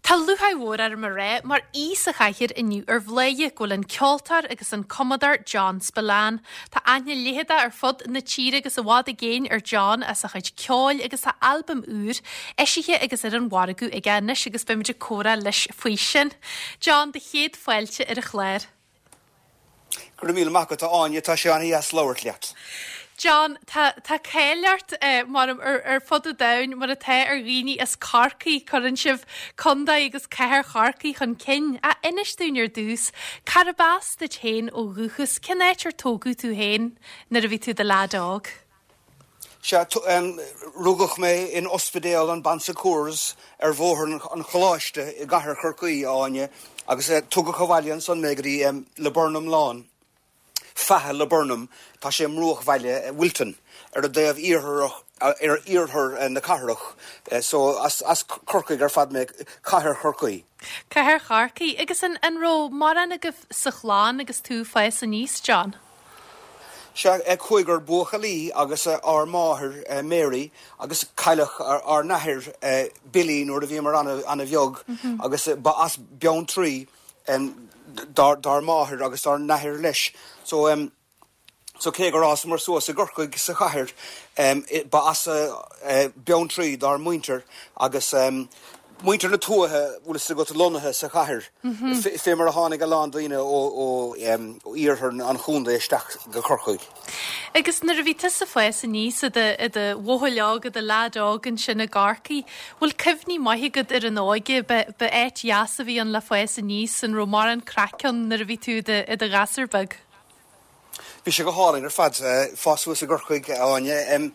Tá lúcháir mhór orm a rá, mar aoi sa chathaoir inniu ar Bhladhaire, go bhfuil an ceoltóir agus an cumadóir John Spillane. Tá aithne leitheadach ar fud na tíre agus i bhfad i gcéin ar John as a chuid ceoil agus tá albam úr eisithe agus ar an mhargadh aige anois agus beimid ag comhrá leis faoi sin. John, do chéad fáilte ar an chlár. Go raibh míle maith agat, a Áine, tá sé an-dheas labhairt leat. John, tá, tá cáil ort, mar, ar, ar fud an domhain, mar atá ar dhaoine as Corcaigh, cuireann sibh contae agus cathair Chorcaí chun cinn. Ach inis dúinn ar dtús, cárb as duit féin ó dhúchas, cén áit ar tógadh tú féin nuair a bhí tú i do leaid óg? Sea, rugadh mé in Ospidéal an Bon Secours ar Bhóthar an Choláiste i gcathair Chorcaí, a Áine, agus tugadh abhaile ansan mé go dtí Laburnum Lawn, Faiche Laburnum, tá sé i mbruachbhaile Wilton, ar an dtaobh iartharach, ar iarthar na cathrach, so as Corcaigh ar fad mé, Cathair Chorcaí. Cathair Chorcaí. Agus an raibh mórán agaibh sa chlann agus tú ag fás aníos, John? Sea, cúigear buachaillí agus ár máthair, Mary, agus cailleadh ár n-athair, Billy, nuair a bhíomar an-bheag agus ba as Beanntraí dár máthair agus dár n-athair leis. So, so cé gur fhásamar suas i gCorcaigh sa chathair, ba as Beanntraí dár muintir agus Muintir na tuaithe, bhfuil fhios agat, lonnaithe sa chathair, fé mar a tháinig a lán daoine ó iarthar an chontae isteach go Corcaigh. Agus nuair a bhí tusa ag fás aníos i do bhuachaill óg, i do leaid óg ansin i gCorcaigh, bhfuil cuimhní maithe agat ar an óige? Ba áit dheas a bhí ann le fás aníos, an raibh mórán craic ann nuair a bhí tú i do ghasúr beag? Bhí sé go hálainn ar fad fás suas i gCorcaigh, a Áine.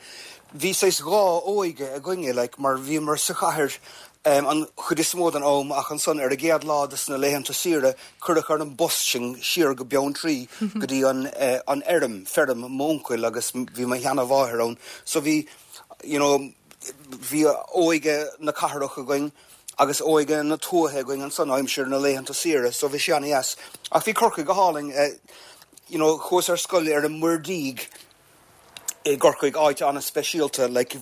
Bhí saghas dhá óige againne, like, mar bhíomar sa chathair an chuid is mó den am ach ansan ar an gcéad lá de sna laethanta saoire cuireadh ar an bus sinn siar go Beanntraí go dtí an an fheirm, feirm m'uncail agus bhí mo sheana-mháthair ann. So bhí, you know, bhí óige na cathrach againn agus óige na tuaithe againn ansan aimsir na laethanta saoire so bhí sé an-dheas. Ach bhí Corcaigh go hálainn, you know chuas ar scoil ar an Muirdíog i gCorcaigh, áit an-speisialta like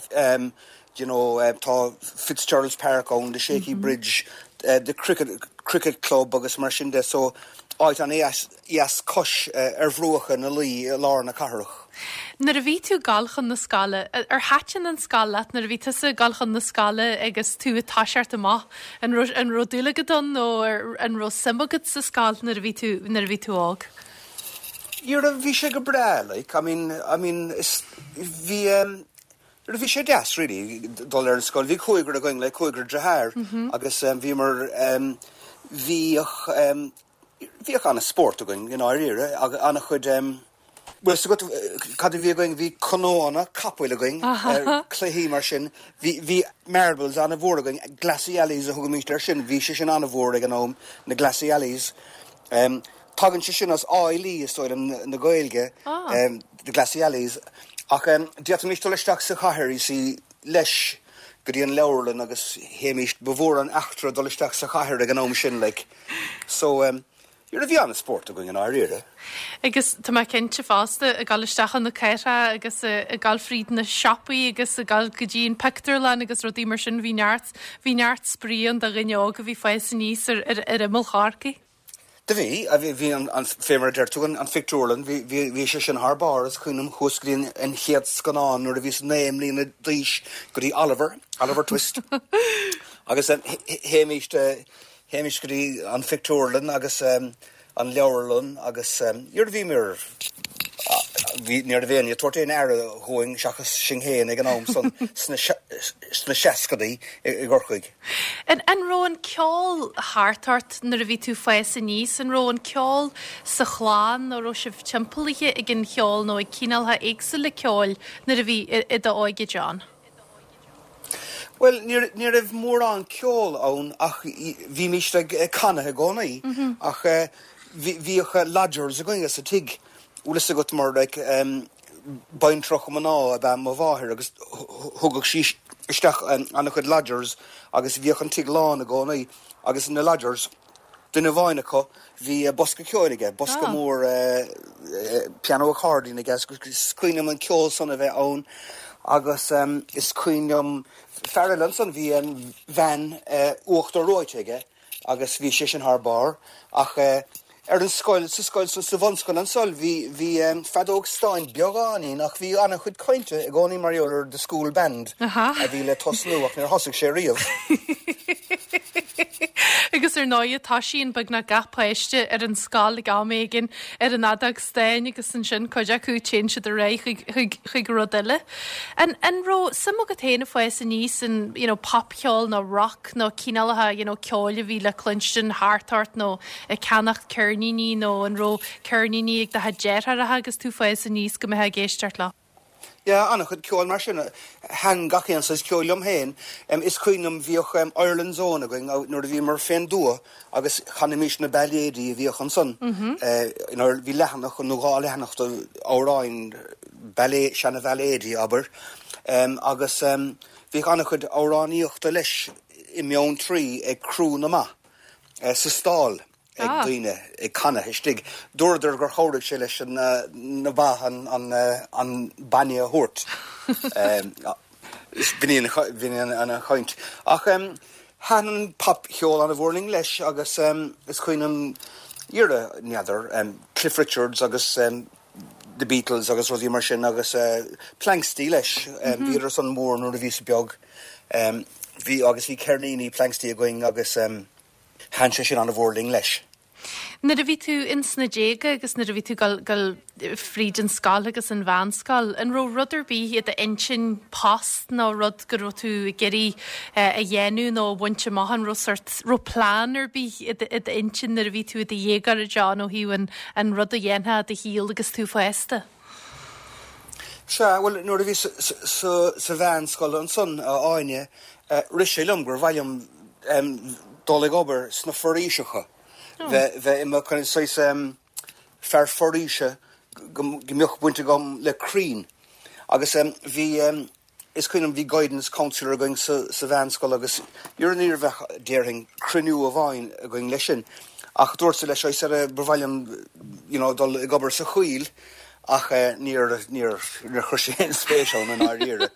you know tá Fitzgerald's Park ann, the Shaky Bridge, the cricket cricket club agus mar sin de so áit an-dheas dheas cois ar bhruacha na Laoi i lár na cathrach. Nuair a bhí tú ag gabháil chun na scoile, ar thaitin an scoil leat nuair a bhí tusa ag gabháil chun na scoile agus tú ag toiseacht amach? An raibh, an raibh dúil agat ann nó an raibh suim agat sa scoil nuair a bhí tú, nuair a bhí tú óg? Dhera, bhí sé go breá, like, I mean, I mean, is, bhí em, dhera, bhí sé deas really dul ar an scoil. Bhí cúigear againn, like, cúigear deartháir agus em bhíomar em, bhíodh em, Bhíodh an-spórt againn i ndáiríre, agus an-chuid, bhfuil fhios agat cad a bhí againn, bhí canónna capaill againn, cluichí mar sin, bhí, bhí marbles an-mhór againn, glassy alleys a thugaimíst air sin, bhí sé sin an-mhór ag an am, na glassy alleys. Tagann sé sin as áílí, is dóigh liom, na Gaeilge, the glassy alleys, ach d'fhéadfaimís dul isteach sa chathair, you see, leis, go dtí an leabharlann agus théimíst, ba mhór an eachtra dul isteach sa chathair ag an am sin, like. So, you know, bhí an-spórt againn i ndáiríre. Agus tá mé cinnte fosta, ag dul isteach chun na cathrach agus ag dul fríd na siopaí agus ag dul go dtí an pictiúrlann agus rudaí mar sin, bhí neart, bhí neart spraoi ann do dhuine óg a bhí ag fás aníos ar, ar, ar imeall Chorcaí. Do bhí, bhí, bhí an, an, fé mar a deir tú, an, an phictiúrlann, bhí, bhí, bhí sé sin thar barr, is cuimhin liom, chuas go dtí an, an chéad scannán nuair a bhíos 9 mbliana d'aois, go dtí Oliver, Oliver Twist. Agus théimíst, Théimis go dtí an phictiúrlann agus an leabharlann agus nuair a bhíomar, bhí, ní raibh éinne ag tabhairt aon aire dhúinn seachas sinn féin ag an am san sna seascadaí i gCorcaigh. An raibh an ceol thart ort nuair a bhí tú ag fás aníos? An raibh an ceol sa chlann nó raibh sibh timpeallaithe ag an cheol nó ag cineálcha éagsúla ceoil nuair a bhí i d'óige, John? Bhuel, ní raibh mórán ceoil ann ach bhímíst ag canadh i gcónaí. Ach bhíodh lodgers againne sa tigh, bhfuil fhios agat, mar like baintreach mná ab ea mo mháthair agus thugadh sí isteach an-chuid lodgers agus bhíodh an tigh lán i gcónaí agus na lodgers, duine amháin acu, bhí bosca ceoil aige, bosca mór piano accordion aige agus is cuimhin liom an ceol san a bheith ann. Agus is cuimhin liom fear eile ansan, bhí veain uachtar reoite aige agus bhí sé sin thar barr. Ach ar an scoil, sa scoil, sa bhunscoil ansan, bhí, bhí feadóg stáin beagáinín ach bhí an-chuid cainte i gcónaí mar gheall ar the school band a bhí le tosnú ach níor thosaigh sé riamh. Agus ar ndóighe toisíonn beagnach gach páiste ar an scoil ag am éigin ar an fheadóg stáin agus ansin cuid acu téann siad ar aghaidh chuig, chuig, chuig rud eile. An, an raibh suim agat féin ag fás aníos in, you know, popcheol nó rock nó cineálacha, you know, ceoil a bhí le cluinstin thart ort nó ag ceannacht ceirníní nó an raibh ceirníní ag do chuid deartháireacha agus tú ag fás aníos go mbeifeá ag éisteacht leo? Yeah, an-chuid ceoil mar sin. Thaitin gach aon saghas ceoil liom féin. Is cuimhin liom bhíodh Ireland's Own againn nuair a bhíomar fén dtuath agus chanaimis na bailéidí a bhíodh ansan. Bhí leathanach nó 2 leathanach d'amhráin, seana-bhailéidí, abair. Agus bhíodh an-chuid amhránaíochta leis i mBeanntraí ag crú na mba sa stall. ag daoine ag canadh istigh. Dúradar gur chabhraigh sé leis na ba an bainne a thabhairt. B'in í an chaint. Ach thaitin an popcheol an-mhór linn leis agus is cuimhin liom dhera, n'fheadar, Cliff Richards agus The Beatles agus rudaí mar sin agus Planxty leis. Bhíodar san mór nuair a bhíos beag. Bhí agus bhí ceirníní Planxty againn agus. Thaitin sé sin an-mhór linn leis. Nuair a bhí tú ins na déaga agus nuair a bhí tú ag dul fríd an scoil agus an mheánscoil, an raibh rud ar bith i d'intinn, post nó rud go raibh tú ag iarraidh a dhéanamh nó a bhaint amach, an raibh sort, raibh plean ar bith i d'intinn nuair a bhí tú i do dhéagóir, a John, ó thaobh an rud a dhéanfá i do shaol agus tú fásta? Sea, bhuel, nuair a bhíos sa mheánscoil ansan, a Áine, rith sé liom gur mhaith liom dul ag obair sna foraoiseacha, bheith i mo kind of saghas fear foraoise, go mbeadh baint agam le crainn. Agus bhí. Is cuimhin liom, bhí guidance counsellor againn sa mheánscoil agus ní raibh ach, déarfainn, cruinniú amháin againn leis sin. Ach dúrtsa leis, I said, ba mhaith liom, you know, dul ag obair sa choill ach níor, níor, níor chuir sé aon spéis ann i ndáiríre.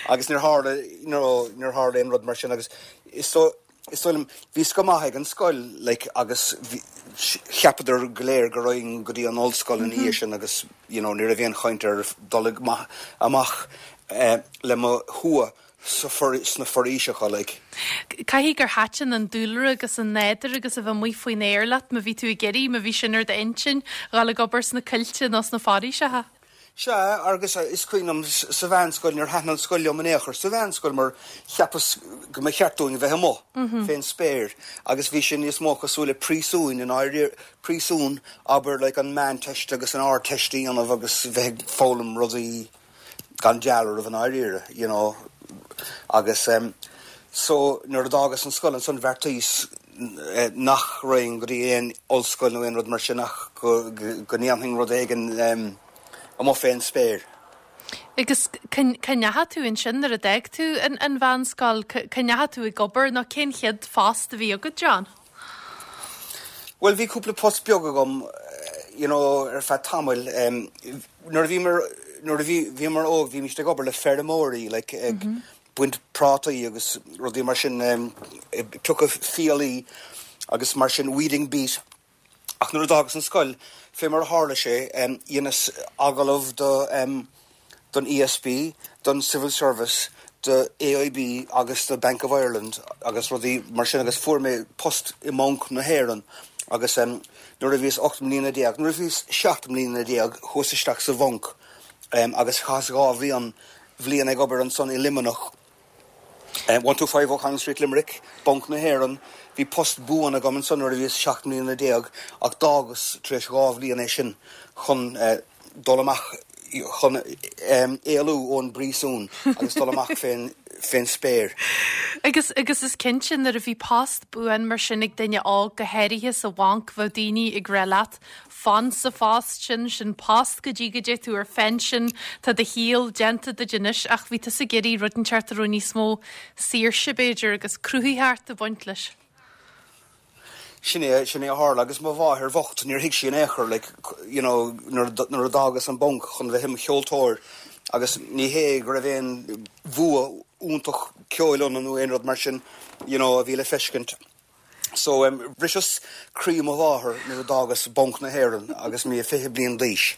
Agus níor tharla, you know, níor tharla aon rud mar sin agus is dóigh, Is dóigh liom, bhíos go maith ag an scoil, like, agus bhí, cheapadar go léir go raghainn go dtí an ollscoil ina dhiaidh sin agus, you know, ní raibh aon chaint ar dul ag, amach le mo thua sa, sna foraoiseacha, like. Caithfidh gur thaitin an dúlra agus an nádúr agus a bheith amuigh faoin aer leat má bhí tú ag iarraidh, má bhí sin ar d'intinn, dhul ag obair sna coillte nó sna foraoiseacha. Sea, agus is cuimhin liom sa mheánscoil, níor thaitin an scoil liom in aon chor sa mheánscoil mar cheapas go mba cheart dúinn a bheith amuigh fén spéir agus bhí sé níos mó cosúil le príosúin i ndáiríre, príosún, abair, like an Meánteist agus an Ardteist a dhéanamh agus bheith ag foghlaim rudaí gan dealramh i ndáiríre, you know. Agus so nuair a d'fhágas an scoil ansan bheartaíos nach raghainn go dtí aon ollscoil nó aon rud mar sin ach go ndéanfainn rud éigin amuigh fén spéir. Agus cá ndeachaigh tú ansin nuair a d'fhág tú an mheánscoil? Cá ndeachaigh tú ag obair nó cén chéad phost a bhí agat, John? Bhuel bhí cúpla post beag agam you know ar feadh tamaill. Nuair a bhíomar, nuair a bhí, bhíomar óg bhímist ag obair le feirmeoirí like ag baint prátaí agus rudaí mar sin, ag piocadh fiailí agus mar sin, weeding beet. Ach nuair a d'fhágas an scoil, fé mar a tharla sé, dheineas agallamh do, don ESB, don Civil Service, do AIB agus do Bank of Ireland agus rudaí mar sin agus fuair mé post i mBanc na hÉireann agus nuair a bhíos 18 mbliana, nuair a bhíos 17 mbliana chuas isteach sa bhanc agus chaitheas 2 bhliain bhliain ag obair ansan i Luimneach, 125 O'Connell Street, Limerick, Banc na hÉireann. Bhí post buan agam ansan nuair a bhíos 17 mbliana ach d'fhágas tar éis 2 bhliain é sin chun dul amach, chun éalú ón bpríosún agus dul amach fén fén spéir. Agus, agus is cinnte nuair a bhí post buan mar sin ag duine óg, go háirithe sa bhanc, bheadh daoine ag rá leat, Fan sa phost sin, sin post go dtí go dté tú ar phension, tá do shaol déanta duit anois ach bhí tusa ag iarraidh rud inteacht a raibh níos mó saoirse b'fhéidir agus cruthaitheacht ag baint leis. Sin é, sin é a tharla agus mo mháthair bhocht, níor thuig sí in aon chor like, you know, nuair a d'fhágas an banc chun bheith i mo cheoltóir. Agus ní hé go raibh aon bhua iontach ceoil ionam nó aon rud mar sin, you know, a bhí le feiscint. So, bhriseas croí mo mháthar nuair a d'fhágas Banc na hÉireann agus mé 20 bliain d'aois.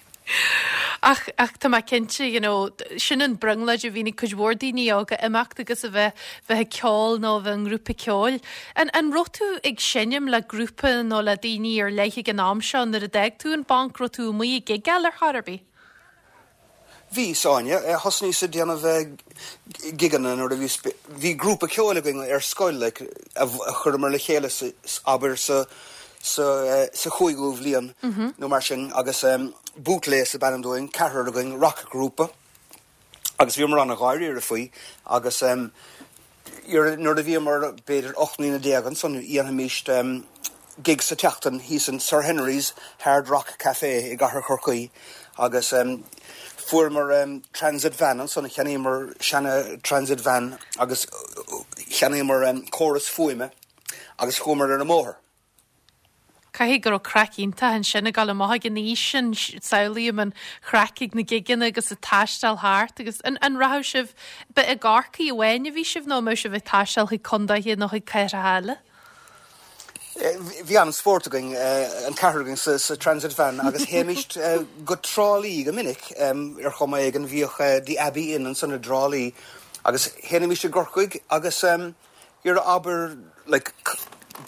Ach, ach tá mé cinnte, you know, sin an brionglóid a bhíonn ag cuid mhór daoine óga, imeacht agus a bheith, bheith ag ceol nó a bheith i ngrúpa ceoil. An, an raibh tú ag seinm le grúpa nó le daoine ar leith ag an am seo nuair a d'fhág tú an banc, raibh tú amuigh ag gigeáil ar chor ar bith? Bhí, a Áine. Thosnaíos ag déanamh gigeanna nuair a bhíos, bhí grúpa ceoil againn ar scoil like a chuireamar le chéile sa, abair sa, sa, sa chúigiú bhliain nó mar sin agus Bootlace ab ainm dúinn, ceathrar againn, racghrúpa agus bhíomar an-dháiríre faoi agus Nuair a bhíomar b'fhéidir 18 mbliana ansan dhéanfaimíst gig sa tseachtain thíos in Sir Henry's Hard Rock Café i gcathair Chorcaí agus fuaireamar transit van ansan, cheannaíomar seana transit van agus cheannaíomar córas fuaime agus chuamar ar an mbóthar. Caithfidh go raibh craic iontach ansin ag dul amach ag an aois sin, samhlaím an chraic ag na gigeanna agus ag taisteal thart agus an an rachadh sibh, ba i gCorcaigh amháin a bhí sibh nó an mbeadh sibh ag taisteal chuig condaetha nó chuig cathracha eile? Bhí an-spórt againn, an ceathrar againn sa sa transit van agus théimíst go Trá Lí go minic ar chuma éigin, bhíodh The Abbey Inn ansan i dTrá Lí agus sheinnimíst i gCorcaigh agus Iarraidh abair like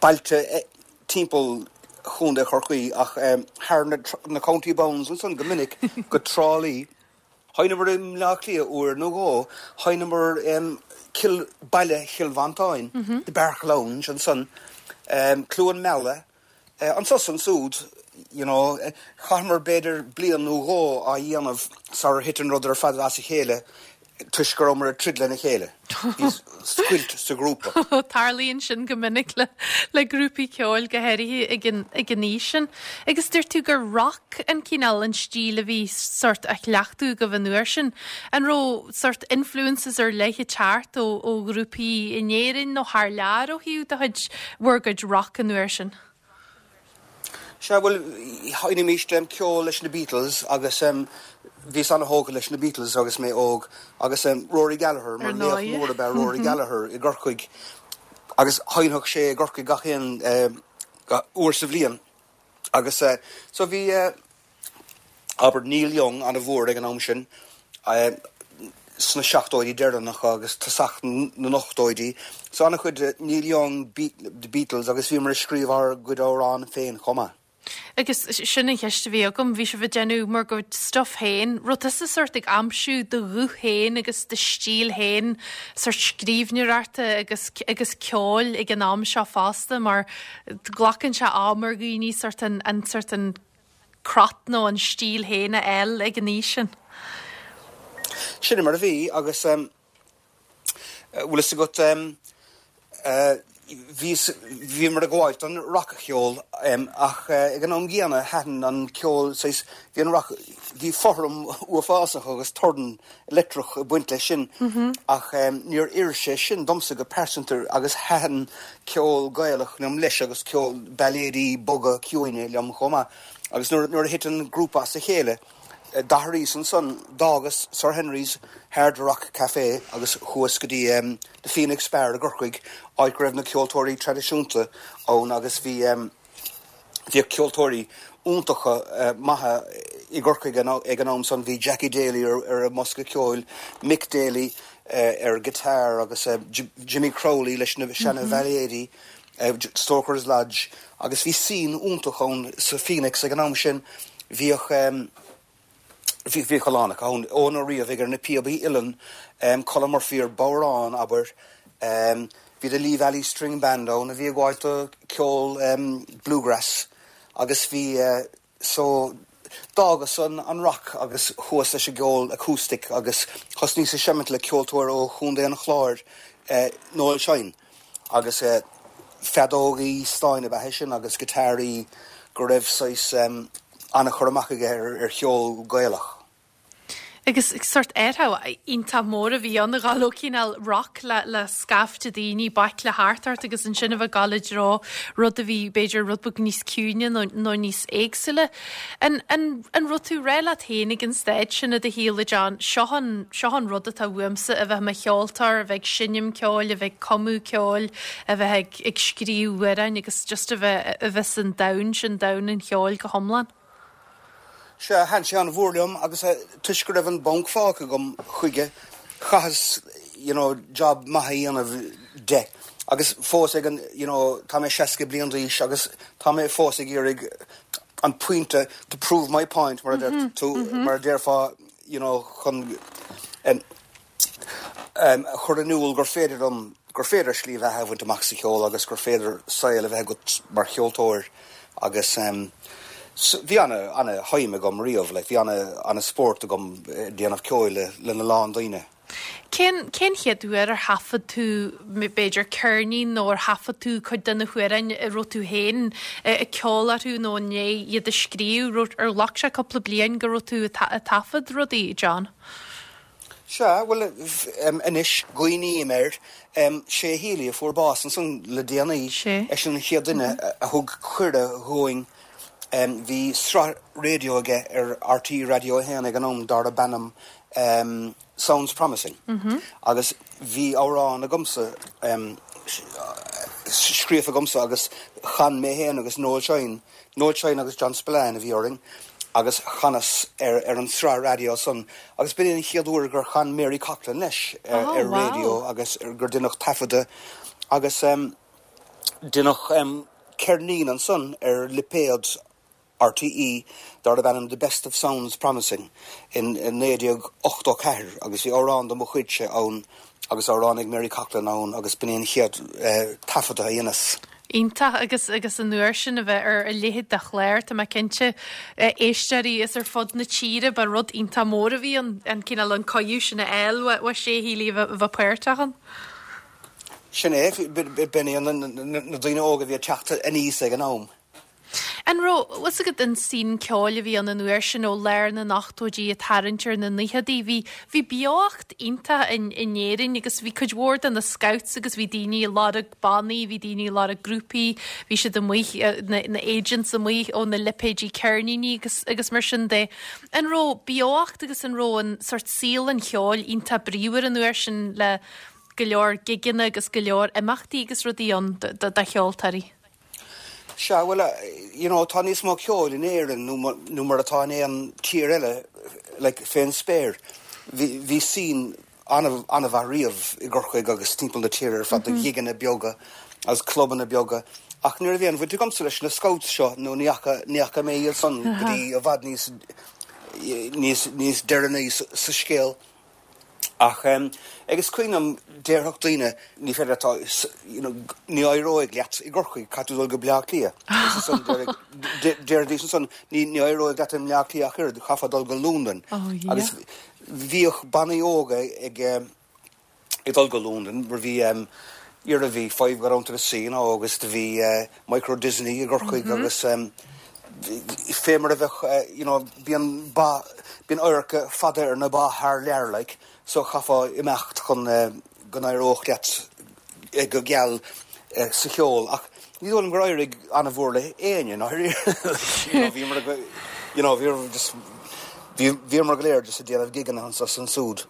bailte timpeall Chontae Chorcaí ach thar na county bounds ansan go minic go Trá Lí. Sheinneamar i mBleá Cliath uair nó dhó, sheinneamar Cill, baile Chill Mhantáin, The Bark Lounge ansan, Cluain Meala, Anso 's ansúd, you know, chaitheamar b'fhéidir bliain nó dhó á dhéanamh sarar thit an rud ar fad as a chéile toisc go rabhamar ag troid lena chéile. Bhí scoilt sa ghrúpa. Tarlaíonn sin go minic le le grúpaí ceoil, go háirithe ag an ag an aois sin. Agus dúirt tú gur rock an cineál, an stíl a bhí sórt á chleachtadh agaibh an uair sin. An raibh sórt influences ar leith ag teacht ó ó ghrúpaí in Éirinn nó thar lear ó thaobh do chuid, bhur gcuid rock an uair sin? Sea, bhuel, sheinnimíst ceol leis na Beatles agus bhíos an-thógtha leis na Beatles agus mé óg agus Rory Gallagher, mar laoch mór ab ea Rory Gallagher i gCorcaigh agus sheinnfeadh sé i gCorcaigh gach aon uair sa bhliain agus so bhí Abair Neil Young an-mhór ag an am sin, sna seachtóidí deireanacha agus tosach na n-ochtóidí. So an-chuid Neil Young, The Beatles agus bhíomar ag scríobh ár gcuid amhrán féin chomh maith. Agus sin an cheist a bhí agam, bhí sibh ag déanamh bhur gcuid stuff féin, raibh tusa sórt ag aimsiú do ghuth féin agus do stíl féin, sórt scríbhneoireachta agus agus ceoil ag an am seo fosta mar glacann sé am ar dhaoine sórt an an sórt an crot nó an stíl féin a fháil ag an aois sin. Sin mar a bhí agus bhfuil fhios agat bhíos, bhíomar ag gabháilt don rac-cheol ach ag an am gcéanna thaitin an ceol saghas, bhí an rac, bhí fothram uafásach agus torann leictreach ag baint leis sin ach níor oir sé sin domsa go pearsanta agus thaitin ceol Gaelach liom leis agus ceol bailéidí boga ciúine liom chomh maith. Agus nuair a thit an grúpa as a chéile d'athraíos ansan, d'fhágas Sir Henry's Hard Rock Café agus chuas go dtí The Phoenix Bar i gCorcaigh, áit go raibh na ceoltóirí traidisiúnta ann agus bhí. Bhíodh ceoltóirí iontacha maithe i gCorcaigh ag an am san. Bhí Jackie Daly ar an mbosca ceoil, Mick Daly ar guitar agus Jimmy Crowley leis na seana bhailéidí, Stoker's Lodge agus bhí scene iontach ann sa Phoenix ag an am sin. Bhíodh. Bhíodh a lán acu ann, Eoin Ó Riabhaigh ar na píobaí uilleann, Colm Murphy ar bodhrán, abair. Bhí The Lee Valley String Band ann a bhí ag gabháilt do ceol bluegrass agus bhí, so d'fhágas an rock agus chuas leis an gceol acoustic agus thosnaíos ag seimint le ceoltóir ó Chontae an Chláir, Noel Shine. Agus feadógaí stáin ab ea é sin agus giotáraí go raibh saghas an-chur amach aige ar cheol Gaelach. Agus sórt athrú iontach mór a bhí ann a dhul ó cineál rock le le scaifte daoine baicle thart ort agus ansin a bheith ag dul i dtreo rud a bhí b'fhéidir rud beag níos ciúine nó nó níos éagsúla. An an an raibh tú ag rá leat féin ag an staid sin i do shaol a John, seo an seo an rud atá uaimsa a bheith i mo cheoltóir, a bheith ag seinm ceoil, a bheith ag cumadh ceoil, a bheith ag ag scríobh amhráin agus just a bheith a bheith san domhan sin, domhan an cheoil go hiomlán? Sea, thaitin sé an-mhór liom agus toisc go raibh an banc fágtha agam chuige, chaitheas you know job maith a dhéanamh de. Agus fós ag an, you know, tá mé 60 bliain d'aois agus tá mé fós ag iarraidh an pointe, to prove my point mar a deir tú, mar a déarfá, you know, chun a chur in iúl gur féidir liom, gur féidir slí bheatha a bhaint amach sa cheol agus gur féidir saol a bheith agat mar cheoltóir agus bhí ana, ana shuim agam riamh, like bhí ana, ana spórt agam ag déanamh ceoil le, lena lán daoine. Cén, cén chéad uair ar thaifead tú b'fhéidir ceirnín nó ar thaifead tú cuid de na hamhráin a raibh tú féin ag ceol orthu nó i ndiaidh iad a scríobh, raibh, ar ghlac sé cúpla bliain go raibh tú ag taifead rudaí, John? Sea, bhuel, anois, cuimhním air, Shay Healy a fuair bás ansan le déanaí, eisean an chéad duine a thug cuireadh dhúinn, bhí sraith raidió aige ar RTÉ Raidió 1 ag an am darb ainm Sounds Promising agus bhí amhrán agamsa, scríofa agamsa agus chan mé féin agus Noel Shine, Noel Shine agus John Spillane a bhí orainn agus chanas ar ar an sraith raidió san agus b'in é an chéad uair gur chan Mary Coughlan leis ar raidió agus gur deineadh taifeadadh agus deineadh ceirnín ansan ar lipéad RTÉ darb ainm The Best of Sounds Promising in 1984 agus bhí amhrán de mo chuidse ann agus amhrán ag Mary Coughlan ann agus b'in é an chéad taifeadadh a dheineas. Iontach agus agus an uair sin a bheith ar a leithéid de chlár, tá mé cinnte, éisteoirí is ar fud na tíre, ba rud iontach mór a bhí ann, an cineál an cuireadh sin a fháil ó Shay Healy a bheith páirteach ann. Sin é, b'in é na daoine óga a bhí ag teacht aníos ag an am. An raibh fhios agat an scene ceoil a bhí ann an uair sin ó lár na n-ochtóidí ag tarraingt ar na naochadaí, bhí, bhí beocht iontach in, in Éirinn agus bhí cuid mhór de na scouts agus bhí daoine ag lorg bannaí, bhí daoine ag lorg grúpaí, bhí siad amuigh, na, na agents amuigh ó na lipéidí ceirníní agus, agus mar sin de. An raibh beocht agus an raibh an sort saol an cheoil iontach bríomhar an uair sin le go leor gigeanna agus go leor imeachtaí agus rudaí ann do, do, do cheoltóirí? Sea, bhuel, you know, tá níos mó ceoil in Éirinn nó mar atá in aon tír eile, like, fén spéir. Bhí, bhí scene an-mhaith riamh i gCorcaigh agus timpeall na tíre ar fad de ghigeanna beaga agus clubanna beaga. Ach ní raibh aon bhaint agamsa leis na scouts seo nó ní fhaca, ní fhaca mé iad san go dtí i bhfad níos, níos, níos deireanaí sa scéal. Ach agus cuimhin liom, déarfadh daoine, ní féidir leat, you know, ní éireoidh leat i gCorcaigh, caithfidh tú dul go Bleá Cliath. Agus ansan déarfaidís ansan, ní ní éireoidh leat i mBleá Cliath ach oiread, chaithfeá dul go Londain. Agus bhíodh bannaí óga ag ag dul go Londain, mar bhí iarraidh bhí Five Got Down to the Sea now agus do bhí Micro Disney i gCorcaigh agus fé mar a bheadh you know bíonn ba, bíonn adharca fada ar na ba thar lear like so chaithfeá imeacht chun go n-éireodh leat go geal sa cheol ach ní dóigh liom gur éirigh an-mhór le éinne i ndáiríre you know bhíomar you know bhíomar just bhíomar go léir just ag déanamh gigeanna anso is ansúd.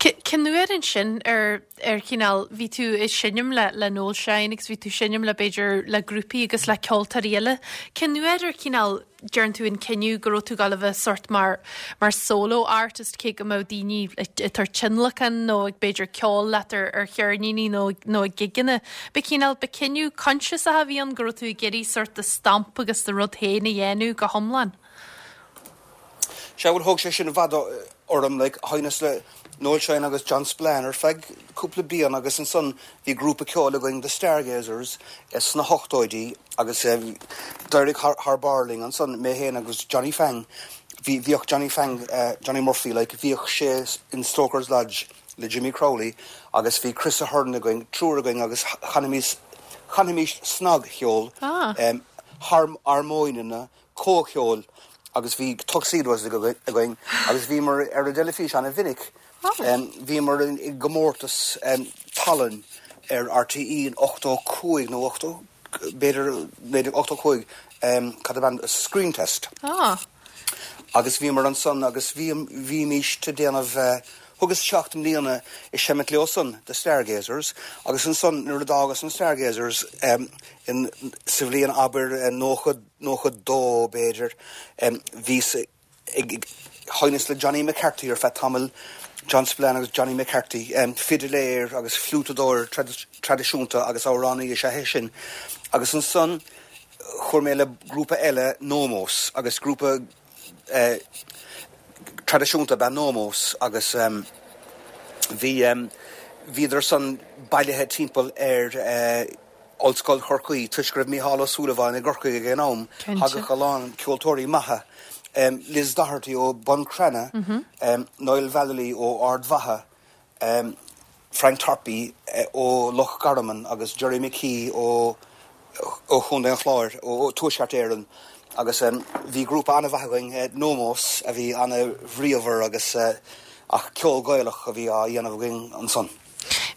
Cén uair ansin ar ar chineál, bhí tú ag seinm le le Noel Shine agus bhí tú ag seinm le b'fhéidir le grúpaí agus le ceoltóirí eile, cén uair ar chineál déan tú an cinneadh go raibh tú ag gabháil a bheith sort mar mar solo artist cé go mbeadh daoine ag tabhairt tionlacan nó ag b'fhéidir ceol leat ar ar cheirníní nó nó ag gigeanna. Ba chineál, ba cinneadh coinsiasach a bhí ann go raibh tú ag iarraidh sort do stamp agus do rud féin a dhéanamh go hiomlán? Sea, bhuel, thóg sé sin i bhfad orm, like, sheinneas le Noel Shine agus John Spillane ar feadh cúpla bliain agus ansan bhí grúpa ceoil againn, The Stargazers, sna hochtóidí agus d'éirigh thar barr linn ansan, mé féin agus Johnny Fang. Bhí, bhíodh Johnny Fang, Johnny Murphy, like, bhíodh sé in Stoker's Lodge le Jimmy Crowley agus bhí Chris Ahern againn, triúr againn agus chanaimis, chanaimis snagcheol, harmóineanna, comhcheol. agus bhí tuxedos againn agus bhíomar ar an dteilifís an-mhinic. Bhíomar i gcomórtas tallann ar RTÉ in 85 nó 80, b'fhéidir 1985, cad ab ainm, Screen Test. Agus bhíomar ansan agus bhímís ag déanamh, thugas seacht mbliana ag seimint leo san, The Stargazers, agus ansan nuair a d'fhágas na Stargazers sa bhliain abair 90, 92 b'fhéidir, bhíos ag sheinneas le Johnny McCarthy ar feadh tamaill, John Spillane agus Johnny McCarthy, fidiléir agus fliútadóir traidisiúnta agus amhránaí is ea é sin. Agus ansan chuaigh mé le grúpa eile, Nomos, agus grúpa traidisiúnta ab ea Nomos agus bhí, bhíodar san bailithe timpeall ar, Ollscoil Chorcaí, toisc go raibh Mícheál Ó Súilleabháin i gCorcaigh ag an am, thagadh a lán ceoltóirí maithe, Liz Doherty ó Bun Cranncha, Niall Vallely ó Ard Mhacha, Frank Tarpey ó Loch Garman agus Gerry McKee ó Chontae an Chláir, ó Tuaisceart Éireann. Agus bhí grúpa an-mhaith againn, Nomos, a bhí an-bhríomhar agus ach ceol Gaelach a bhí á dhéanamh againn ansan.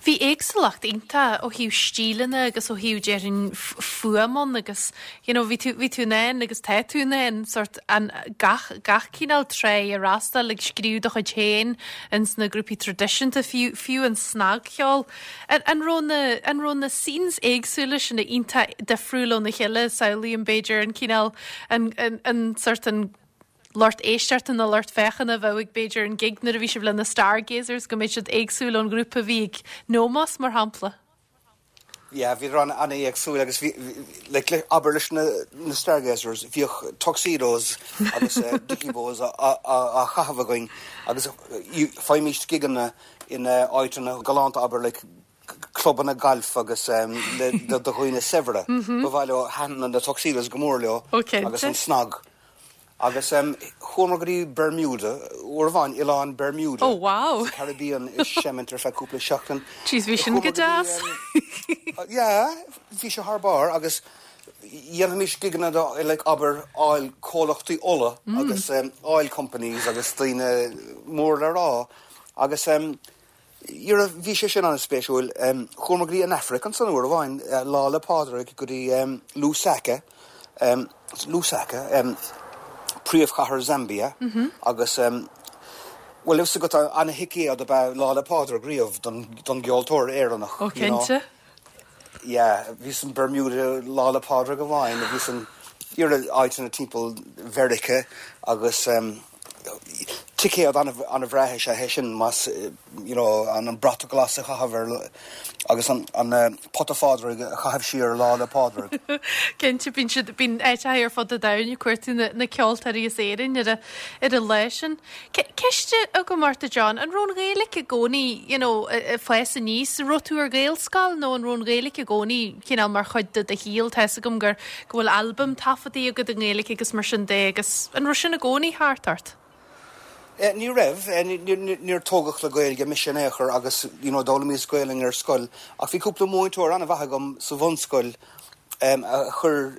Bhí éagsúlacht iontach ó thaobh stíleanna agus ó thaobh, déarfainn, fuaim ann agus you know bhí tú, bhí tú in ann agus tá tú in ann sórt an, gach, gach cineál tráigh a fhreastal, ag scríobh do chuid féin ins na grúpaí traidisiúnta, fiú, fiú an snagcheol. An, an raibh na, an raibh na scenes éagsúla sin iontach difriúil óna chéile, samhlaím b'fhéidir an cineál, an, an, an sórt an, lucht éisteachta nó lucht féachana a bheadh ag b'fhéidir an gig nuair a bhí sibh le na Stargazers go mbeadh siad éagsúil ón ghrúpa a bhí ag Nomos mar shampla. Yeah, bhíodar an an-éagsúil agus bhí like le abair leis na na Stargazers bhíodh tuxedos agus dickie bows á á chaitheamh againn agus faighimís gigeanna in áiteanna galánta abair like clubanna gailf agus le do dhaoine saibhre. Ba mhaith leo, thaitin na tuxedos go mór leo agus an snag. Agus chuamar go dtí Bermuda, uair amháin, oileán Bermuda sa Caribbean ag seimint ar feadh cúpla seachtain. Jeez, bhí sin go deas. Yeah, bhí sé thar barr agus dhéanfaimis gigeanna do like abair oil, comhlachtaí ola agus oil companies agus daoine mór le rá agus Dhera, bhí sé sin an-spéisiúil. Chuamar go dtí an Afraic ansan uair amháin, Lá 'le Pádraig, go dtí Lusaka, Lusaka, príomhchathair Zambia, agus, bhuel, fhios agat, an-thicéad ab ea Lá 'le Pádraig riamh don gceoltóir Éireannach, you know. Ó, cinnte. Yeah, bhíos in Bermuda Lá 'le Pádraig amháin, bhíos in dhera, áiteanna timpeall Mheiriceá agus ticéad an-bhreá is ea é sin más you know an brat glas a chaitheamh ar agus an an pota Phádraig a chaitheamh siar Lá 'le Pádraig. Cinnte, bíonn siad, bíonn áiteacha ar fud an domhain ag cuartú na na ceoltóirí as Éirinn ar a ar an lá sin. Ceist agam ort a John, an raibh an Ghaeilge i gcónaí, you know, ag fás aníos, an raibh tú ar Ghaelscoil nó an raibh an Ghaeilge i gcónaí cineál mar chuid de do shaol? Tá fhios agam gur, go bhfuil albam taifeadta agat i nGaeilge agus mar sin de agus an raibh sin i gcónaí thart ort? Ní raibh, níor tógadh le Gaeilge mise in aon chor agus, you know, d'fhoghlaimíos Gaelainn ar scoil ach bhí cúpla múinteoir an-mhaith agam sa bhunscoil a chuir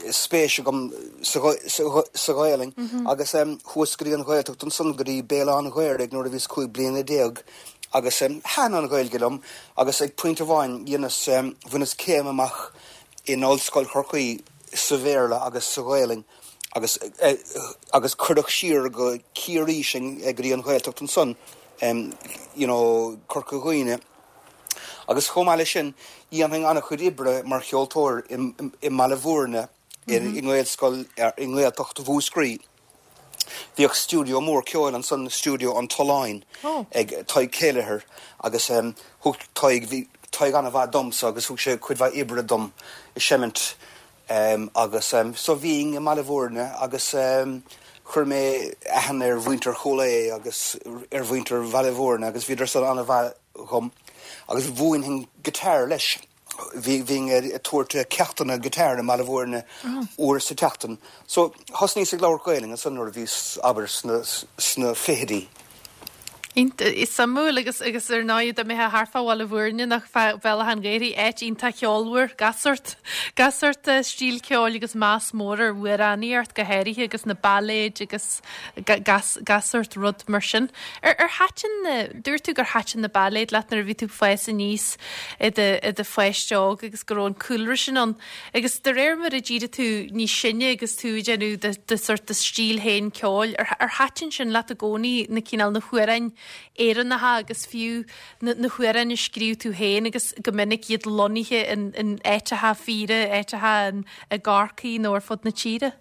spéis agam sa Ghaelainn agus chuas go dtí an Ghaeltacht ansan go dtí Béal Átha an Ghaorthaidh nuair a bhíos 15 bliana agus thaitin an Ghaeilge liom agus ag pointe amháin dheineas, bhaineas céim amach in Ollscoil Chorcaí sa Bhéarla agus sa Ghaelainn agus agus cuireadh siar go Ciarraí sinn go dtí an Ghaeltacht ansan you know Corca Dhuibhne. Agus chomh maith leis sin, dhéanfainn an-chuid oibre mar cheoltóir i mBaile Bhúirne, i nGaelscoil, i nGaeltacht Mhúscraí. Bhíodh stiúideo mór ceoil ansan, Stiúideo an Tolláin, ag Tadhg Kelleher agus thug Tadhg, bhí Tadhg an-mhaith domsa agus thug sé cuid mhaith oibre dom i seimint agus so bhínn i mBaile Bhúirne agus chuir mé aithne ar mhuintir Chúil Aodha agus ar mhuintir Bhaile Bhúirne agus bhíodar san an-mhaith dhom agus mhúinfinn guitar leis. Bhí, bhínn ag tabhairt ceachtanna guitar i mBaile Bhúirne uair sa tseachtain. So thosnaíos ag labhairt Gaelainn ansan nuair a bhíos, abair, sna, sna fichidí. Suimiúil agus agus ar ndóigh dá mbeifeá thart fá Bhaile Bhúirne nach fá Bhealach an Ghaorthaidh, áit iontach cheolmhar, gach sórt, gach sórt stíl ceoil agus meas mór ar amhránaíocht go háirithe agus na bailéid agus gach gach sórt rud mar sin. Ar ar thaitin na, dúirt tú gur thaitin na bailéid leat nuair a bhí tú ag fás aníos i do i do pháiste óg agus go raibh an cúlra sin ann. Agus de réir mar a d'éirigh tú níos sine agus tú ag déanamh do, do sort do stíl féin ceoil, ar, ar thaitin sin leat i gcónaí, na cineál, na hamhráin Éireannacha agus fiú na, na hamhráin a scríobh tú féin agus go minic iad lonnaithe in, in áiteacha fíora, áiteacha in, i gCorcaigh nó ar fud na tíre?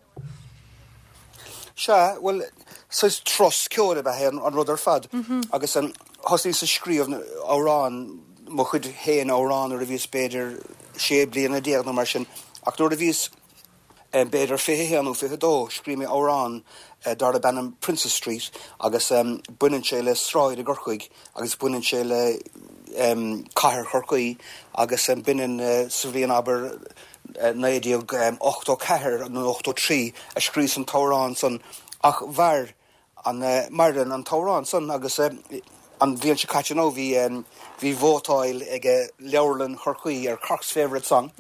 Sea, bhuel, saghas turas ceoil ab ea é an rud ar fad. Agus thosnaíos ag scríobh amhrán, mo chuid féin amhrán nuair a bhíos b'fhéidir 16 bliana nó mar sin. Ach nuair a bhíos b'fhéidir 21 nó 22, scríobh mé amhrán darb ainm Princes Street agus baineann sé le sráid i gCorcaigh agus baineann sé le cathair Chorcaí agus b'in sa bhliain abair 1984 nó 83 a scríos an t-amhrán san ach mhair an, maireann an t-amhrán san agus an bhliain seo caite nó bhí, bhí vótáil ag Leabharlann Chorcaí ar Cork's Favourite Song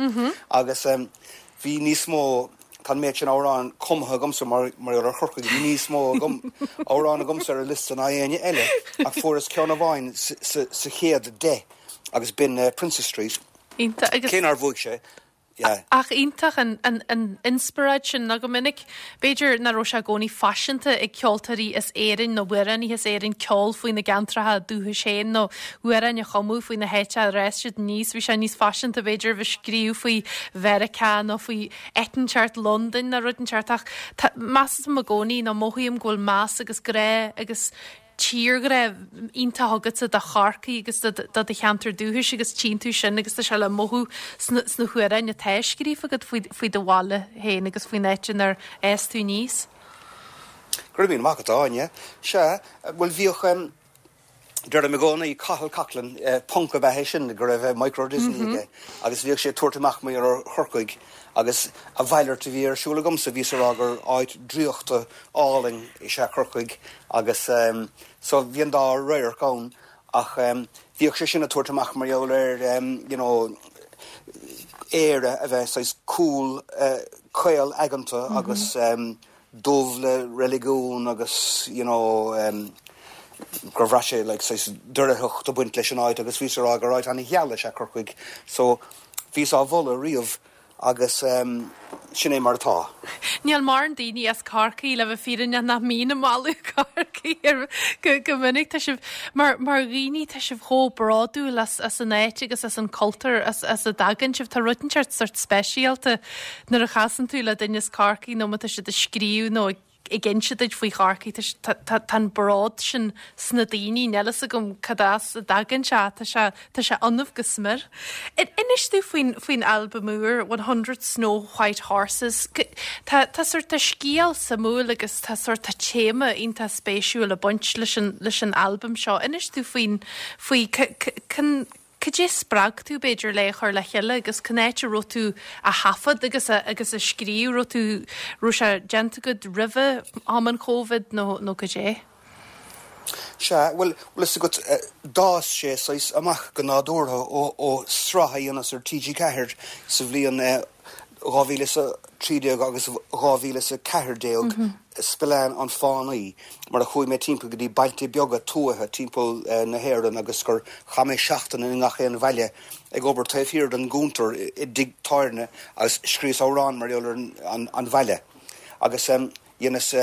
agus bhí níos mó, tá an méid sin amhrán cumtha agamsa mar gheall ar Chorcaigh, bhí níos mó agam, amhrán agamsa ar an liosta ná éinne eile ach fuaireas ceann amháin sa chéad deich agus b'in Princes Street. Iontach agus. Cé nár bhuaigh sé, yeah. Ach iontach an, an, an inspioráid sin nó go minic, b'fhéidir nach raibh sé i gcónaí faiseanta ag ceoltóirí as Éirinn nó amhránaithe as Éirinn ceol faoi na gceantracha dúchais féin nó amhráin a chumadh faoi na háiteacha ar fhás siad aníos. Bhí sé níos faiseanta b'fhéidir a bheith ag scríobh faoi Mheiriceá nó faoi áit inteacht, Londain nó rud inteacht ach tá, measaim i gcónaí nó mothaím go bhfuil meas agus grá agus tírghrá iontach agatsa do Chorcaigh agus do do cheantar dúchais agus tchíonn tú sin agus tá sé le mothú sna sna hamhráin atá scríofa agat faoi faoi do bhaile féin agus faoin áit inar fhás tú aníos. Go raibh míle maith agat, a Áine. Sea, bhuel bhíodh em deirim i gcónaí Cathal Coughlan, punc ab ea é sin go raibh Micro Disney aige agus bhíodh sé ag tabhairt amach mar gheall ar Chorcaigh agus a mhalairt a bhí ar siúl agamsa, bhíos ag rá gur áit draíochta álainn is ea Corcaigh agus so bhí an dá radharc ann ach bhíodh sé sin ag tabhairt amach mar gheall ar you know Éire a bheith saghas cúl caol aigeanta agus dubh le reiligiún agus you know gur bhraith sé like saghas doircheacht ag baint leis an áit agus bhíos ag rá gur áit an-gheal is ea Corcaigh so bhíos á mholadh riamh Agus sin é mar atá. Níl mórán daoine as Corcaigh, le bheith fírinneach, nach mbíonn ag moladh Corcaigh go minic. Tá sibh, mar mar dhaoine, tá sibh chomh bródúil as as an áit agus as an cultúr as as a dtagann sibh. Tá rud inteacht sort speisialta nuair a chasann tú le duine as Corcaigh nó má tá siad ag scríobh nó ag ag inse duit faoi Chorcaigh, tá an bród sin sna daoine, níl fhios agam cad as a dtagann sé, tá sé, tá sé ionaibh go smior. Inis domh faoin, faoin albam úr, 100 Snow White Horses, tá, tá sort, tá scéal suimiúil agus tá sort, tá téama iontach spéisiúil ag baint leis an, leis an albam seo. Inis domh faoin, faoi, cén, Cad é a spreag tú, b'fhéidir, le é a chur le chéile agus cén áit a raibh tú á thaifead agus a agus a scríobh? Raibh tú, raibh sé déanta agat roimhe am an Chóivid nó nó cad é? Sea, bhuel, bhfuil fhios agat, d'fhás sé saghas amach go nádúrtha ó ó sraith a dhéanas ar TG4 sa bhliain 2013 agus 2014, Spillane an Fánaí, mar a chuaigh mé timpeall go dtí bailte beaga tuaithe timpeall na hÉireann agus gur chaith mé seachtain i ngach aon bhaile ag obair taobh thiar den gcuntar i dtigh tábhairne agus scríos amhrán mar gheall ar an bhaile agus dheineas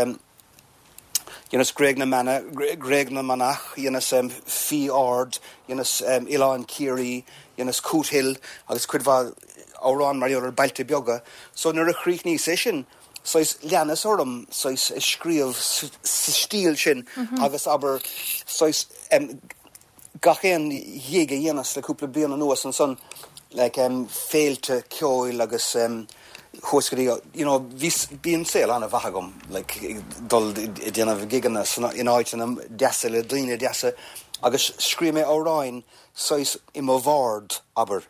Dheineas Gréig na Mana, Gréig na Manach, dheineas Fiodh Ard, dheineas Oileán Ciarraí, dheineas Cootehill agus cuid mhaith amhrán mar gheall ar bailte beaga. So nuair a chríochnaíos é sin, saghas leanas orm saghas ag scríobh sa stíl sin agus abair saghas gach aon ghig a dhéanas le cúpla bliain anuas ansan like féilte ceoil agus chuas go dtí you know bhí bíonn saol an-mhaith agam like ag dul ag déanamh gigeanna san in áiteanna deasa le daoine deasa agus scríobh mé amhráin saghas i mo bhord abair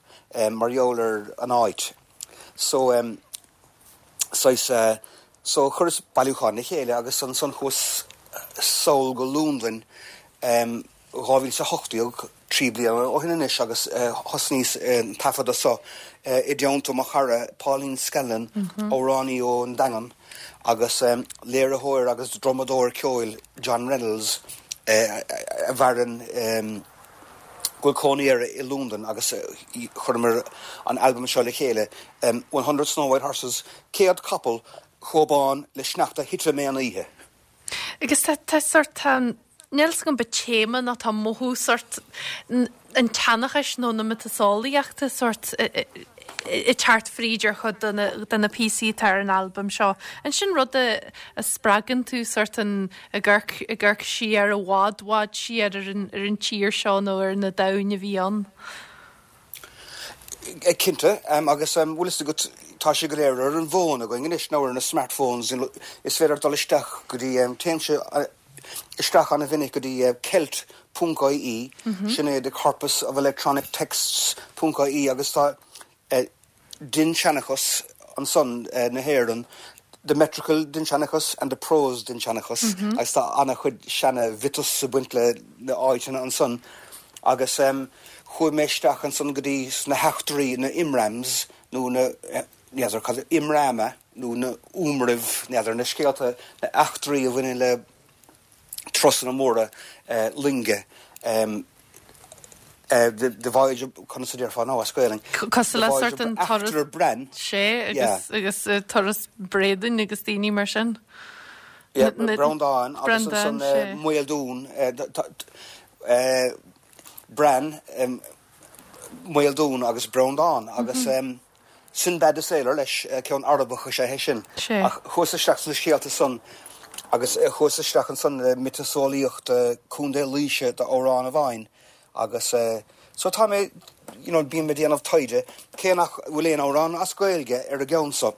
mar gheall ar an áit so saghas so chuireas bailiúchán le chéile agus ansan chuas sall go Londain. 2018, 3 bliana ó shin anois agus thosnaíos an taifeadadh so i dteannta mo chara Pauline Scanlon, amhránaí ón Daingean, agus léiritheoir agus drumadóir ceoil John Reynolds a mhaireann, go bhfuil cónaí air i Londain agus chuireamar an albam seo le chéile, 100 Snow White Horses, 100 capall chomh bán le sneachta thitfidh mé an oíche. Agus tá, tá sort, tá, níl 's agam an téama nó tá mothú sort an tseanchais nó na miotaseolaíochta sort ag teacht fríd ar chuid de na, de na píosaí atá ar an albam seo. An sin rud a, a spreagann tú sort an, ag amharc, ag amharc siar i bhfad, bhfad siar ar an, ar an tír seo nó ar na domhain a bhí ann? Cinnte, agus bhfuil fhios agat, tá sé go léir ar an bhfón againn anois, nó ar na smartphones, is féidir dul isteach go dtí, téimse isteach an-mhinic go dtí celt ponc ie, sin é the Corpus of Electronic Texts ponc ie, agus tá dinnseanchas ansan na hÉireann, the metrical dinnseanchas and the prose dinnseanchas, agus tá an-chuid seana-mhiotas ag baint le na áiteanna ansan. Agus chuaigh mé isteach ansan go dtí sna heachtraí, na immrams, nó na, n'fheadar cad, immrama, nó na iomraimh, n'fheadar, na scéalta, na eachtraí a bhaineann le turasanna móra loinge, the voyage of, conas a déarfá now as Gaelainn? Cosúil le sort an turas, Eachtra Bran. Sea, agus, agus turas Bréanainn agus daoine mar sin. Yeah, Breandán agus ansan Maoldún, Bran, Maoldún agus Breandán agus Sinbad the Sailor leis, ceann Arabach is ea é sin. Ach chuas isteach sna scéalta san agus chuas isteach ansan le miotaseolaíocht Contae Laoise d'amhrán amháin agus so tá mé, you know, bím ag déanamh taighde, cé nach bhfuil aon amhrán as Gaeilge ar an gceann so.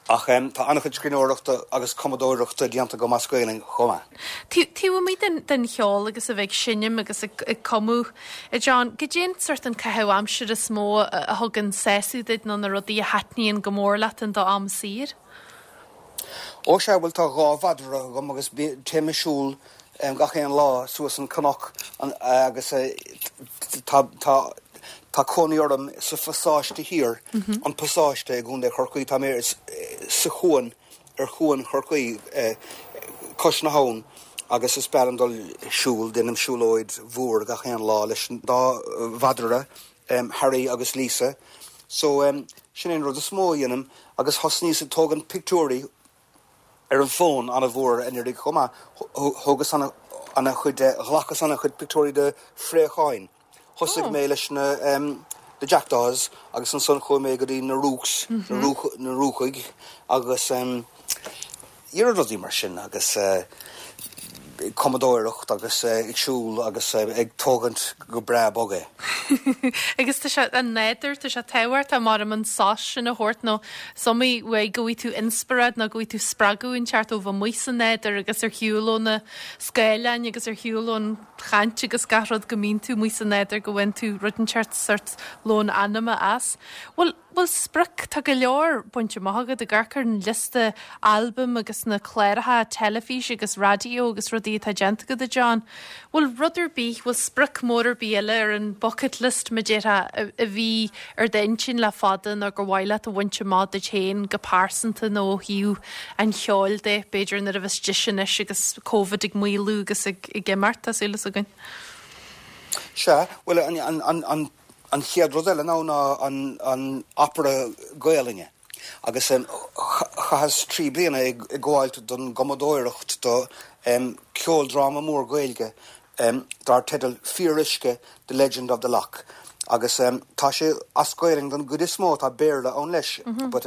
Ach tá an-chuid scríbhneoireachta agus cumadóireachta déanta agam as Gaelainn chomh maith. Taobh amuigh den cheol agus a bheith ag seinm agus ag cumadh, a John, goidé an sort an caitheamh aimsire is mó a thugann sásamh duit nó na rudaí a thaitníonn go mór leat in do am saor? Ó sea, bhuel tá 2 mhadra agam agus téim ag siúl gach aon lá suas an cnoc agus tá tá tá cónaí orm sa Phasáiste Thiar, an Pasáiste i gContae Chorcaí, tá mé sa chuan, ar chuan Chorcaí, cois na habhann agus is breá liom dul siúl, déanaim siúlóid mhór gach aon lá leis an dá mhadra, Harry agus Lisa. So sin é an rud is mó a dhéanaim agus thosnaíos ag tógaint pictiúirí ar an bhfón an-mhór anuraidh chomh maith. Thógas ana-chuid, ghlacas ana-chuid pictiúirí de phréacháin. Thosaigh mé leis na the jackdaws agus ansan chuaigh mé go dtí na rooks, na rúcaigh agus rudaí mar sin agus ag cumadóireacht agus ag siúl agus ag tógaint go breá bog é. Agus tá sé, an nádúr, tá sé tábhachtach maram an sos sin a thabhairt nó is iomaí uair go bhfaighidh tú inspioráid nó go bhfaighidh tú spreagadh inteacht ó bheith amuigh sa nádúr agus ar shiúl ó na scáileáin agus ar shiúl ón chaint agus gach rud go mbíonn tú amuigh sa nádúr go bhfaigheann tú rud inteacht sort lón anama as. Bhfuil Bhfuil sprioc, tá go leor bainte amach agat ag amharc ar an liosta albam agus na cláracha teilifíse agus raidió agus rudaí atá déanta agat, a John. Bhfuil rud ar bith, bhfuil sprioc mór ar bith eile ar an bucket list, mar a déarfá, a bhí ar d'intinn le fada nó gur mhaith leat a bhaint amach duit féin go pearsanta nó ó thaobh an cheoil de, b'fhéidir nuair a bheas deis anois agus Covid ag maolú agus ag imeacht, tá súil is againn. Sea, bhuel an, an, An chéad rud eile ná ná an opera Gaelainne agus chaitheas 3 bliana ag gabháilt don gcumadóireacht do ceoldráma mór Gaeilge dar teideal Fíoruisce, The Legend of the Loch agus tá sé as Gaelainn don gcuid is mó, tá Béarla ann leis but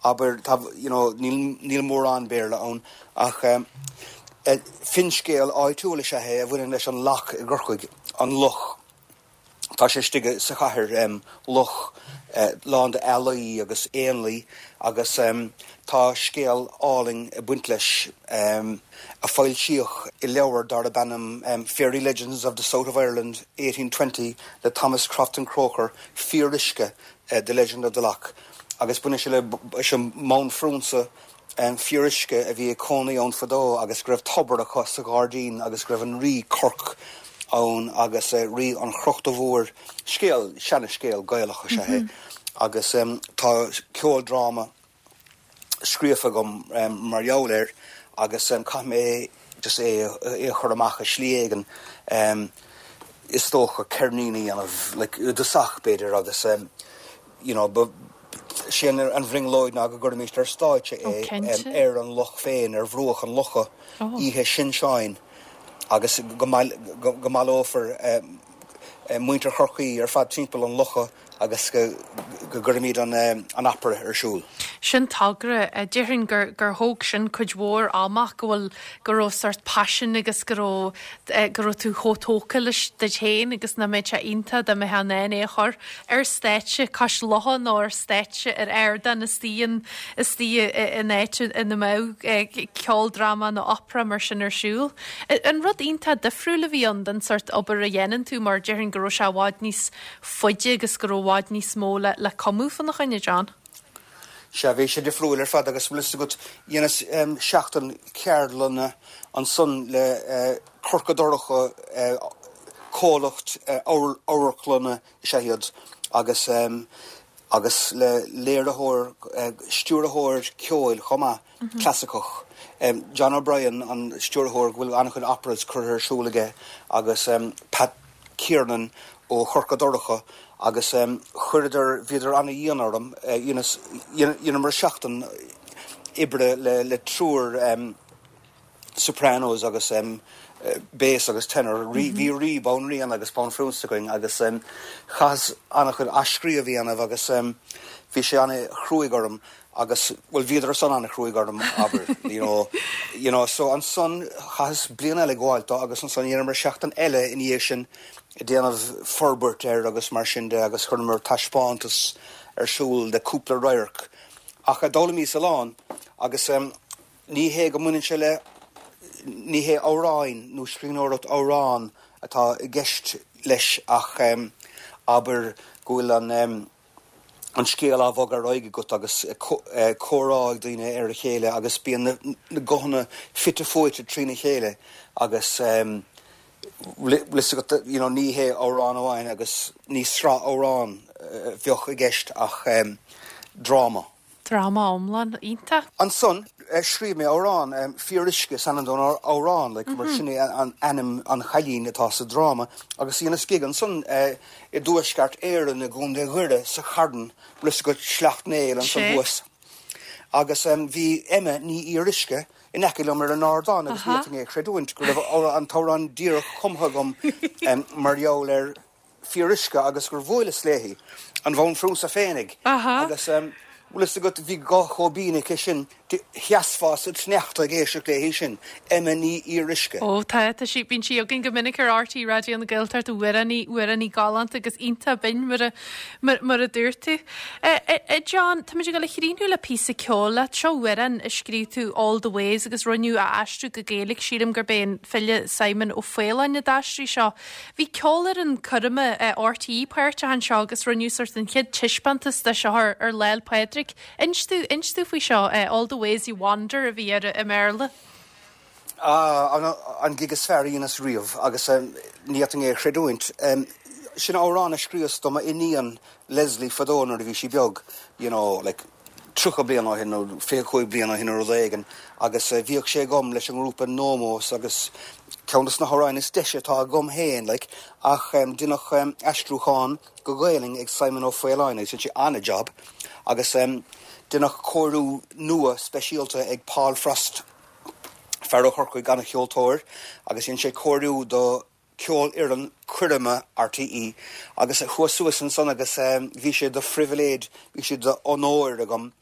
abair tá you know níl níl mórán Béarla ann ach finscéal áitiúil is ea é a bhaineann leis an Loch i gCorcaigh, an loch. Tá sé istigh sa chathair, loch lán de ealaí agus éanlaith agus tá scéal álainn ag baint leis a foilsíodh i leabhar darb ainm Fairy Legends of the South of Ireland 1820 le Thomas Crofton Croker, Fíoruisce, The Legend of the Loch. Agus baineann sé leis an mbanphrionsa Fíoruisce a bhí ag cónaí ann fadó agus go raibh tobar acu sa ghairdín agus go raibh an rí Corc ann agus rí an Chrochta Mhóir. Scéal, seana-scéal Gaelach is ea é agus tá ceoldráma scríofa agam mar gheall air agus caithfidh mé just é a chur amach i slí éigin, is dócha ceirnín a dhéanamh like i dtosach b'fhéidir agus you know ba sé an bhrionglóid ná go gcuirfimíst ar stáitse é ar an loch féin, ar bhruach an locha, oíche Shin Seáin agus go mbaileofar muintir Chorcaí ar fad timpeall an locha agus go gcuirfimid an opera ar siúl. Sin togra. Déarfainn gur gur thóg sin cuid mhór ama go bhfuil, go raibh sórt paisean agus go raibh, go raibh tú chomh tógtha leis duit féin agus nach mbeadh sé iontach dá mbeifeá in ann é a chur ar stáitse cois locha nó ar stáitse ar ardán istigh in, istigh in áit ina mbeadh ceoldráma nó opera mar sin ar siúl. An rud iontach difriúil a bhí ann den sórt obair a dhéanann tú mar déarfainn go raibh sé i bhfad níos faide agus go raibh i bhfad níos mó le cumadh fána choinne, John. Sea, bhí sé difriúil ar fad agus bhfuil fhios agat, dheineas seachtain ceardlanna ansan le Corca Dorcha, comhlacht amharclainne is ea iad, agus agus le léiritheoir, stiúrthóir ceoil chomh maith, clasaiceach. John O'Brien, an stiúrthóir go bhfuil an-chuid operas curtha ar siúl aige agus Pat Kiernan ó Chorca Dorcha agus chuireadar, bhíodar ana-dhian orm, dheineas, dheineamar seachtain oibre le triúr sopranos agus bass agus tenor, bhí rí, banríon agus banphrionsa againn agus chaitheas an-chuid athscríobh a dhéanamh agus bhí sé ana-chruaidh orm agus, bhuel bhíodar san ana-chruaidh orm, abair, you know, you know, so ansan chaitheas bliain eile ag gabháil dó agus ansan dheineamar seachtain eile ina dhiaidh sin ag déanamh forbairt air agus mar sin de agus chuireamar taispeántas ar siúl de cúpla radharc. Ach d'fhoghlaimíos a lán agus ní hé go mbaineann sé le, ní hé amhráin nó scríbhneoireacht amhrán atá i gceist leis ach abair go bhfuil an, an scéal á bhogadh ar aghaidh agat agus comhrá ag daoine ar a chéile agus bíonn na guthanna fite fuaite trína chéile agus bhfuil fhios agat you know ní hé amhrán amháin agus ní sraith amhrán a bheadh i gceist ach dráma. Dráma iomlán iontach. Ansan scríobh mé amhrán, Fíoruisce is ainm don amhrán, like, mar sin é an ainm an chailín atá sa dráma, agus dheineas gig ansan i dTuaisceart Éireann i gContae Dhoire sa Charn, bhfuil fhios agat Sleacht Néill ansan thuas. Agus bhí Emma Ní Fhíoruisce in aice liom ar an ardán agus ní fhéadfainn é a chreidiúint go raibh an t-amhrán díreach cumtha agam mar gheall ar Fíoruisce agus gur bhuaileas léi, an bhanphrionsa féinig, agus bhfuil fhios agat, bhí guth chomh binn aici sin, sheasfá sa tsneachta ag éisteacht léi sin, Emma Ní Fhíoruisce. Ó tá, tá sí, bíonn sí againn go minic ar RTÉ Raidió na Gaeltachta, amhránaí, amhránaí galánta agus iontach binn mar a, mar, mar a dúirt tú. A John, táimid ag dul a chríochnú le píosa ceoil leat. Seo amhrán a scríobh tú, All the Ways, agus rinneadh a aistriú go Gaeilge, sílim gurb é an file Simon Ó Faoláin a d'aistrigh seo. Bhí ceolfhoireann coirme RTÉ páirteach anseo agus rinneadh sort an chéad taispeántas de seo ar ar Lá 'le Pádraig. Inis domh, inis domh faoi seo, All the Ways You Wander a bhí air i mBéarla. Ah, an gig is fearr a dheineas riamh agus ní fhéadfainn é a chreidiúint. Sin amhrán a scríos do m'iníon Leslie fadó nuair a bhí sí beag, you know, like, 30 bliain ó shin nó 25 bliain ó shin nó rud éigin agus bhíodh sé agam leis an ngrúpa Nomos agus ceann dos na hamhráin is deise atá agam féin like ach deineadh aistriúchán go Gaelainn ag Simon Ó Faoláin agus dhein sé an-job agus deineadh cóiriú nua speisialta ag Paul Frost, fear ó Chorcaigh, an-cheoltóir agus dhein sé cóiriú do Ceolfhoireann Coirme RTÉ agus chuas suas ansan agus bhí sé de phribhléid, bhí sé d'onóir agam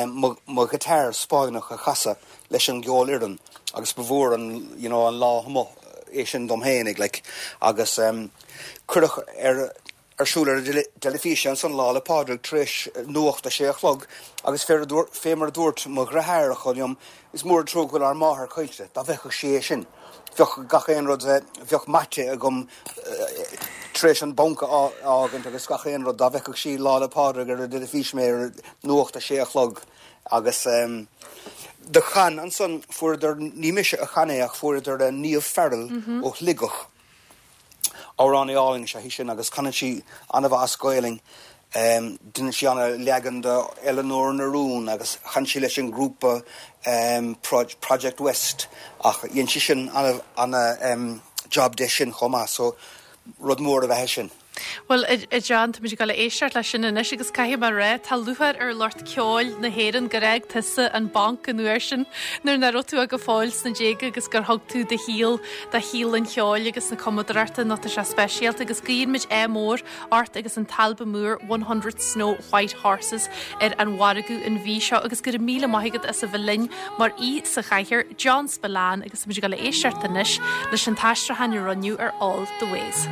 mo ghiotár Spáinneach a chasadh leis an gceolfhoireann agus ba mhór an, you know, an lá amuigh é sin dom fhéinig like agus cuireadh ar ar siúl ar an dteilifís ansan Lá 'le Pádraig tar éis nuacht a sé a chlog agus fé mar a dúirt mo dhriotháireacha liom, is mór an trua go bhfuil ár máthair caillte, dá bhfeicfeadh sí é sin, bheadh gach aon rud, bheadh maite agam. Tar éis an banc a fhágaint agus gach aon rud, dá bhfeicfeadh sí Lá 'le Pádraig ar an dteilifís mé ar nuacht a sé a chlog agus do chan ansan, fuaireadar, ní mise a chan é ach fuaireadar Niamh Farrell ó Shligeach, amhránaí álainn is ea í sin agus canann sí an-mhaith as Gaelainn. Deineann sí ana-leagan de Eileanóir na Rún agus chan sí leis an ngrúpa Project West ach dhein sí sin ana-job de sin chomh maith so rud mór ab ea é sin. Bhuel, a John, táimid ag dul a éisteacht leis sin anois agus caithfidh mé a rá, tá lúcháir ar lucht ceoil na hÉireann gur fhág tusa an banc an uair sin nuair nach raibh tú ach go fóill sna déaga agus gur thug tú do shaol do shaol an cheoil agus na cumadóireachta nó tá sé speisialta agus guíonn muid ádh mór ort agus an t-albam úr 100 Snow White Horses ar an mhargadh an mhí seo agus go raibh míle maith agat as a bheith linn mar aoi sa chathaoir, John Spillane agus táimid ag dul a éisteacht anois leis an t-aistriúchán a rinneadh ar All the Ways.